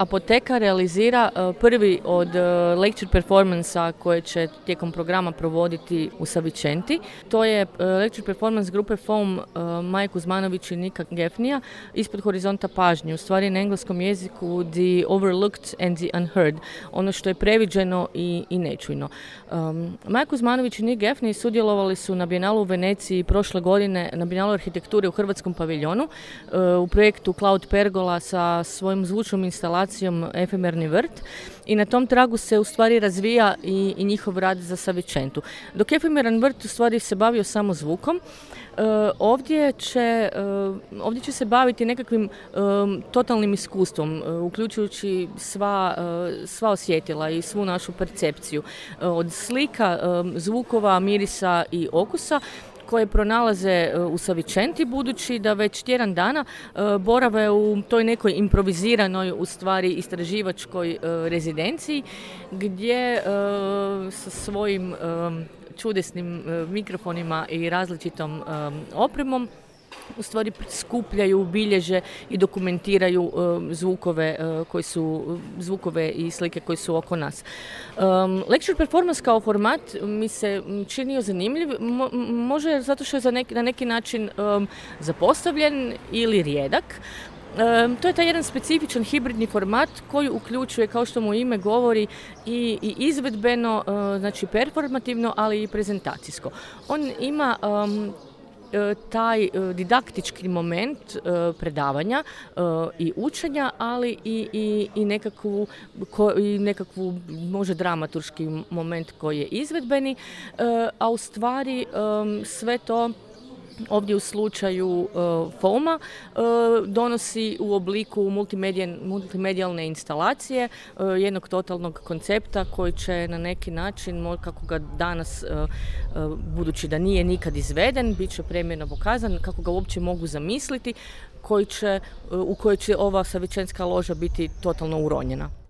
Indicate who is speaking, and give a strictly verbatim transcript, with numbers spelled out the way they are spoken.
Speaker 1: Apoteka realizira prvi od lecture performansa koje će tijekom programa provoditi u Savicenti. To je lecture performance grupe Foam Maje Kuzmanović i Nika Gefnija ispod horizonta pažnje, u stvari na engleskom jeziku The Overlooked and the Unheard, ono što je previđeno i, i nečujno. Um, Maja Kuzmanović i Nik Gefnija sudjelovali su na Bijenalu u Veneciji prošle godine na Bijenalu arhitekture u Hrvatskom paviljonu uh, u projektu Cloud Pergola sa svojom zvučnom instalacijom Efemerni vrt i na tom tragu se u stvari razvija i, i njihov rad za Savicentu. Dok Efemeran vrt u stvari se bavio samo zvukom, Uh, ovdje, će, uh, ovdje će se baviti nekakvim um, totalnim iskustvom, uh, uključujući sva, uh, sva osjetila i svu našu percepciju. Uh, od slika, um, zvukova, mirisa i okusa koje pronalaze u Savicenti, budući da već tjedan dana uh, borave u toj nekoj improviziranoj, u stvari istraživačkoj uh, rezidenciji, gdje uh, sa svojim um, čudesnim uh, mikrofonima i različitom um, opremom u stvari skupljaju, bilježe i dokumentiraju uh, zvukove uh, koji su zvukove i slike koji su oko nas. Um, lecture performance kao format mi se činio zanimljiv, mo- može zato što je za neki, na neki način um, zapostavljen ili rijedak. Um, to je taj jedan specifičan hibridni format koji uključuje, kao što mu ime govori, i, i izvedbeno, uh, znači performativno, ali i prezentacijsko. On ima um, taj didaktički moment predavanja i učenja, ali i, i, i, nekakvu, ko, i nekakvu može dramaturški moment koji je izvedbeni, a u stvari sve to ovdje u slučaju uh, Foama uh, donosi u obliku multimedijalne instalacije, uh, jednog totalnog koncepta koji će na neki način, kako ga danas, uh, uh, budući da nije nikad izveden, bit će premijerno pokazan, kako ga uopće mogu zamisliti, koji će, uh, u kojoj će ova Savicentska loža biti totalno uronjena.